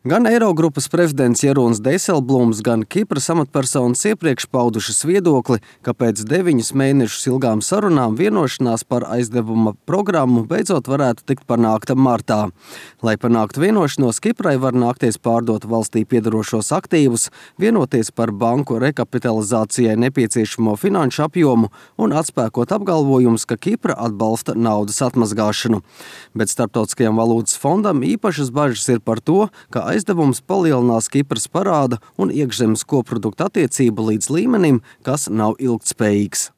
Gan Eirogrupas prezidents Jeroens Dijsselbloems, gan Kipras amatpersonas iepriekš paudušas viedokli, ka pēc 9 mēnešus ilgām sarunām vienošanās par aizdevuma programmu beidzot varētu tikt panākta martā. Lai panāktu vienošanos, Kiprai var nākties pārdot valstī piedarošos aktīvus, vienoties par banku rekapitalizācijai nepieciešamo finanšu apjomu un atspēkot apgalvojumus, ka Kipra atbalsta naudas atmazgāšanu. Bet Starptautiskajam valūtas fondam īpašas bažas ir par to, ka aizdevums palielinās Kipras parāda un iekšzemes koprodukta attiecību līdz līmenim, kas nav ilgtspējīgs.